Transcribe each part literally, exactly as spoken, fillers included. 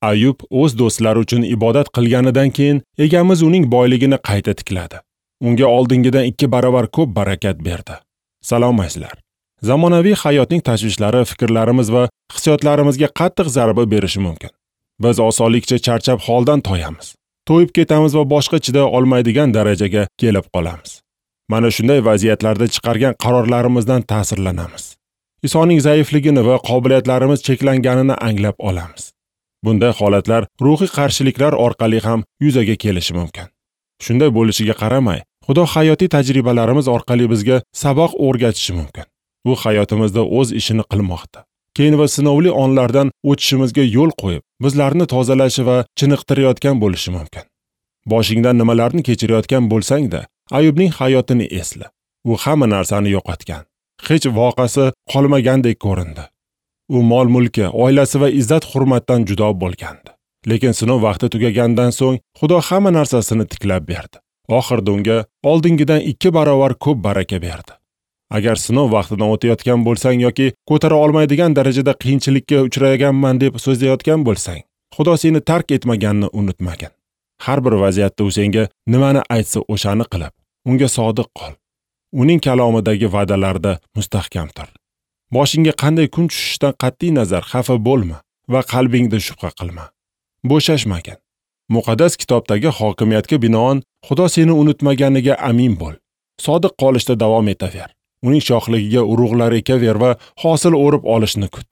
Ayub o'z do'stlari uchun ibodat qilganidan keyin egamiz uning boyligini qayta tikladi. Unga oldingidan ikki barobar ko'p barakat berdi. Salom azizlar. Zamonaviy hayotning tashvishlari fikrlarimiz va hissiyotlarimizga qattiq zarba berishi mumkin. Biz osonlikcha charchab holdan toyamiz. To'yib ketamiz va boshqa chiday olmaydigan darajaga kelib qolamiz. Mana shunday vaziyatlarda chiqargan qarorlarimizdan ta'sirlanamiz. Isoning zaifligini va qobiliyatlarimiz cheklanganini anglab olamiz. Bunday holatlar ruhiy qarshiliklar orqali ham yuzaga kelishi mumkin. Shunday bo'lishiga qaramay, Xudo hayotiy tajribalarimiz orqali bizga saboq o'rgatishi mumkin. U hayotimizda o'z ishini qilmoqda. Keyin va sinovli onlardan o'tishimizga yo'l qo'yib, bizlarni tozalashi va chiniqtirayotgan bo'lishi mumkin. Boshingdan nimalarni kechirayotgan bo'lsang-da, Ayubning hayotini esla. U hamma narsani yo'qotgan. Hech voqeasi qolmagandek ko'rindi. U mol-mulki, oilasi va izzat-hurmatdan judo bo'lgandi. Lekin sinov vaqti tugagandan so'ng Xudo hamma narsasini tiklab berdi. Oxirida unga oldingidan ikki barobar ko'p baraka berdi. Agar sinov vaqtidan o'tayotgan bo'lsang yoki ko'tara olmaydigan darajada qiyinchilikka uchraganman deb so'zlayotgan bo'lsang, Xudo seni tark etmaganini unutmagin. Har bir vaziyatda u senga nimani aytsa o'shani qilib, unga sodiq qol. Uning kalomidagi va'dalarda mustahkam tur. Boshingga qanday kun tushishidan qat'iy nazar xafa bo'lma va qalbingda shubha qilma. Bo'shashmagin. Muqaddas kitobdagi hokimiyatga binoan Xudo seni unutmaganiga amin bo'l. Sodiq qolishda davom etaver. Uning shohligiga urug'lar ekaver va hosil o'rib olishni kut.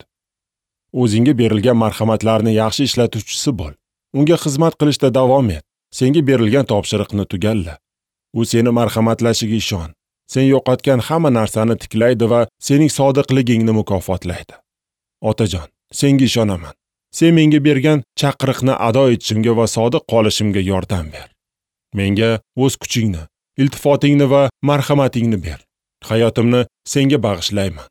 O'zingga berilgan marhamatlarni yaxshi ishlatuvchisi bo'l. Unga xizmat qilishda davom et. Senga berilgan topshiriqni tugalla. U seni marhamatlashiga ishon. Sen yo'qotgan hamma narsani tiklaydi va sening sodiqligingni mukofotlaydi. Otajon, senga ishonaman. Sen menga bergan chaqiriqni ado etishimga va sodiq qolishimga yordam ber. Menga o'z kuchingni, iltifotingni va marhamatingni ber. Hayotimni senga bag'ishlayman.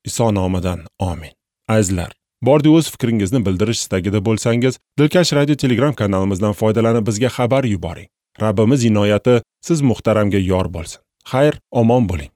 Iso nomidan amin. Azizlar, bordi o'z fikringizni bildirish istagida bo'lsangiz, Dilkash Radio Telegram kanalimizdan foydalanib bizga xabar yuboring. Rabbimiz inoyati siz muhtaramga yor bo'lsin. Xayr, omon bo'ling.